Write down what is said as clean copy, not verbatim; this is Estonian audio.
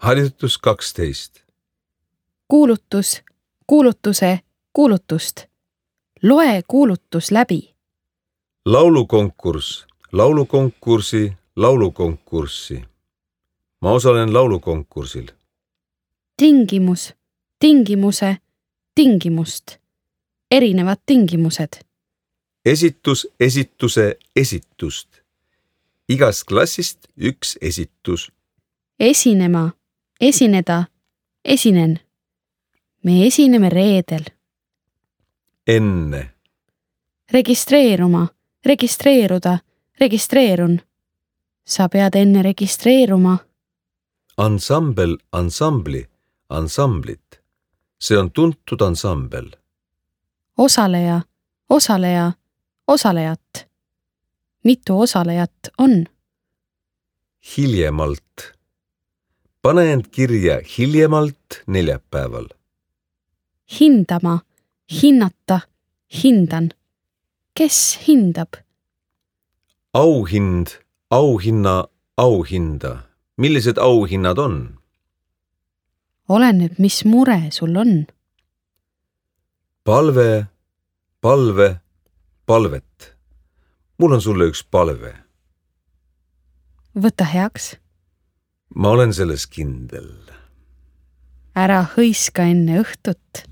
Harjutus 12. Kuulutus, kuulutuse, kuulutust. Loe kuulutus läbi. Laulukonkurss, laulukonkursi, laulukonkurssi. Ma osalen laulukonkursil. Tingimus, tingimuse, tingimust. Erinevad tingimused. Esitus, esituse, esitust. Igast klassist üks esitus. Esinema, esineda, esinen. Me esineme reedel. Enne. Registreeruma, registreeruda, registreerun. Sa pead enne registreeruma. Ansambel, ansambli, ansamblit. See on tuntud ansambel. Osaleja, osaleja, osalejat. Mitu osalejat on? Hiljemalt. Pane end kirja hiljemalt neljapäeval. Hindama, hinnata, hindan. Kes hindab? Auhind, auhinna, auhinda. Millised auhinnad on? Oleneb, mis mure sul on. Palve, palve, palvet. Mul on sulle üks palve. Võta heaks. Ma olen selles kindel. Ära hõiska enne õhtut.